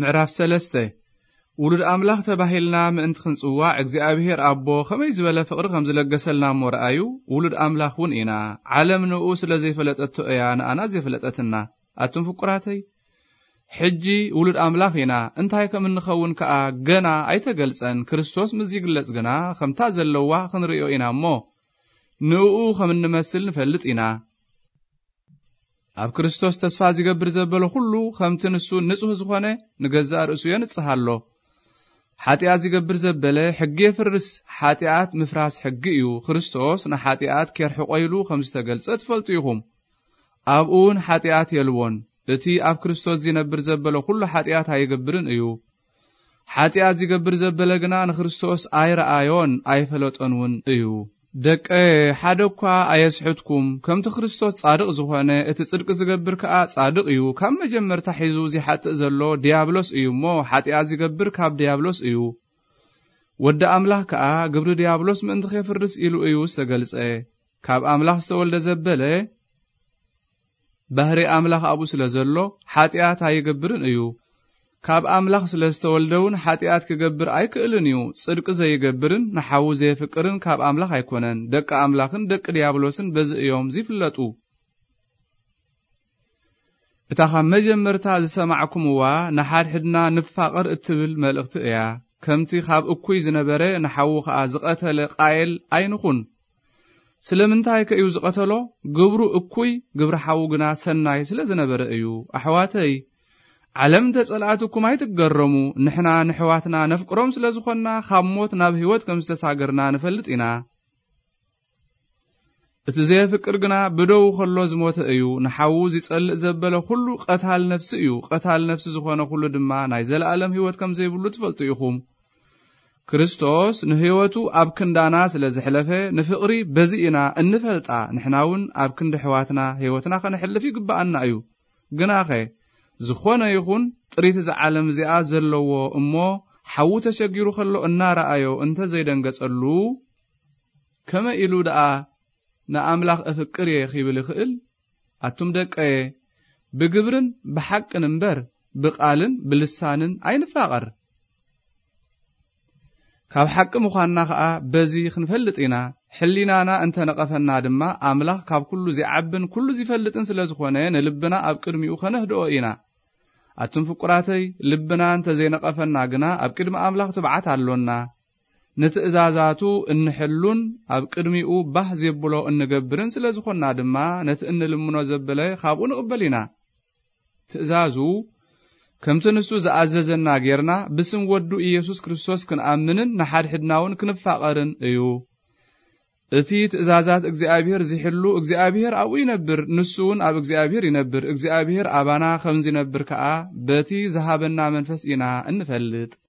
ምዕራፍ ሰለስተ። ውሉድ ኣምላኽ ተባሂልና ምእንቲ ክንጽዋዕ እግዚኣብሔር ኣቦ ከመይ ዝበለ ፍቕሪ ከም ዝለገሰልና እሞ ረኣዩ፣ ውሉድ ኣምላኽ እውን ኢና። ዓለም ንኡ ስለ ዘይፈለጠቶ እያ ንኣና ዘይፈለጠትና። ኣቱም ፍቁራተይ፣ ሕጂ ውሉድ ኣምላኽ ኢና፣ እንታይ ከም እንኸውን ከኣ ገና ኣይተገልጸን። ክርስቶስ ምስ ይግለጽ ግና ከምታ ዘለዋ ክንርእዮ ኢና እሞ፣ ንኡ ከም እንመስል ንፈልጥ ኢና። ኣብ ክርስቶስ ተስፋ ዝገብር ዘበለ ኩሉ ከምቲ ንሱ ንጹህ ዝኾነ ንገዛእ ርእሱ የንጽህ ኣሎ። ሓጢኣት ዝገብር ዘበለ ሕጊ የፍርስ፣ ሓጢኣት ምፍራስ ሕጊ እዩ። ክርስቶስ ንሓጢኣት ኬርሕቆ ኢሉ ከም ዝተገልጸ ትፈልጡ ኢኹም። ኣብኡ እውን ሓጢኣት የልቦን። እቲ ኣብ ክርስቶስ ዝነብር ዘበለ ኩሉ ሓጢኣት ኣይገብርን እዩ። ሓጢኣት ዝገብር ዘበለ ግና ንክርስቶስ ኣይረኣዮን ኣይፈለጦን እውን እዩ። ደቀ፣ ሓደ እኳ ኣየስሕትኩም። ከምቲ ክርስቶስ ጻድቕ ዝኾነ፣ እቲ ጽድቂ ዝገብር ከኣ ጻድቕ እዩ። ካብ መጀመርታ ሒዙ ዚሓጥእ ዘሎ ዲያብሎስ እዩ እሞ፣ ሓጢኣት ዝገብር ካብ ዲያብሎስ እዩ። ወዲ ኣምላኽ ከኣ ግብሪ ዲያብሎስ ምእንቲ ኼፍርስ ኢሉ እዩ ዝተገልጸ። ካብ ኣምላኽ ዝተወልደ ዘበለ፣ ባህሪ ኣምላኽ ኣብኡ ስለ ዘሎ፣ ሓጢኣት ኣይገብርን እዩ። ካብ ኣምላኽ ስለ ዝተወልደ እውን ሓጢኣት ክገብር ኣይክእልን እዩ። ጽድቂ ዘይገብርን ንሓዉ ዘየፍቅርን ካብ ኣምላኽ ኣይኮነን። ደቂ ኣምላኽን ደቂ ዲያብሎስን በዚ እዮም ዚፍለጡ። እታ ካብ መጀመርታ ዝሰማዕኩምዋ ንሓድሕድና ንፋቐር እትብል መልእኽቲ እያ። ከምቲ ካብ እኩይ ዝነበረ ንሓዉ ኸኣ ዝቐተለ ቃየል ኣይንኹን። ስለምንታይ ከ እዩ ዝቐተሎ? ግብሩ እኩይ፣ ግብሪ ሓዉ ግና ሰናይ ስለ ዝነበረ እዩ። ኣሕዋተይ፣ ዓለም እንተ ጸልኣትኩም ኣይትገረሙ። ንሕና ንሕዋትና ነፍቅሮም ስለ ዝኾንና፣ ካብ ሞት ናብ ህይወት ከም ዝተሳገርና ንፈልጥ ኢና። እቲ ዘየፍቅር ግና ብደው ከሎ ዝሞተ እዩ። ንሓዉ ዚጸልእ ዘበለ ኩሉ ቀታል ነፍሲ እዩ። ቀታል ነፍሲ ዝኾነ ኩሉ ድማ ናይ ዘለኣለም ህይወት ከም ዘይብሉ ትፈልጡ ኢኹም። ክርስቶስ ንህይወቱ ኣብ ክንዳና ስለ ዘሕለፈ፣ ንፍቕሪ በዚ ኢና እንፈልጣ። ንሕና እውን ኣብ ክንዲ ኣሕዋትና ህይወትና ከነሕልፍ ይግብኣና እዩ። ግናኸ፣ ዝኾነ ይኹን ጥሪት እዛ ዓለም እዚኣ ዘለዎ እሞ፣ ሓዉ ተሸጊሩ ከሎ እናረኣዮ እንተ ዘይደንገጸሉ፣ ከመይ ኢሉ ደኣ ንኣምላኽ እፍቅር እየ ኺብል ይኽእል? ኣቱም ደቀየ፣ ብግብርን ብሓቅን እምበር፣ ብቓልን ብልሳንን ኣይንፋቐር። ካብ ሓቂ ምዃንና ኸኣ በዚ ክንፈልጥ ኢና። ሕሊናና እንተ ነቐፈና ድማ፣ ኣምላኽ ካብ ኩሉ ዚዓብን ኩሉ ዚፈልጥን ስለ ዝኾነ፣ ንልብና ኣብ ቅድሚኡ ኸነህድኦ ኢና። ኣቱም ፍቁራተይ፣ ልብና እንተ ዘይነቐፈና ግና፣ ኣብ ቅድሚ ኣምላኽ ትብዓት ኣሎና። ንትእዛዛቱ እንሕሉን ኣብ ቅድሚኡ ባህ ዜብሎ እንገብርን ስለ ዝኾንና ድማ፣ ነቲ እንልምኖ ዘበለ ኻብኡ ንቕበል ኢና። ትእዛዙ፣ ከምቲ ንሱ ዝኣዘዘና ጌርና፣ ብስም ወዱ ኢየሱስ ክርስቶስ ክንኣምንን ንሓድሕድና እውን ክንፋቐርን እዩ። እቲ ትእዛዛት እግዚኣብሔር ዚሕሉ፣ እግዚኣብሔር ኣብኡ ይነብር፣ ንሱ እውን ኣብ እግዚኣብሔር ይነብር። እግዚኣብሔር ኣባና ከም ዚነብር ከኣ፣ በቲ ዝሃበና መንፈስ ኢና እንፈልጥ።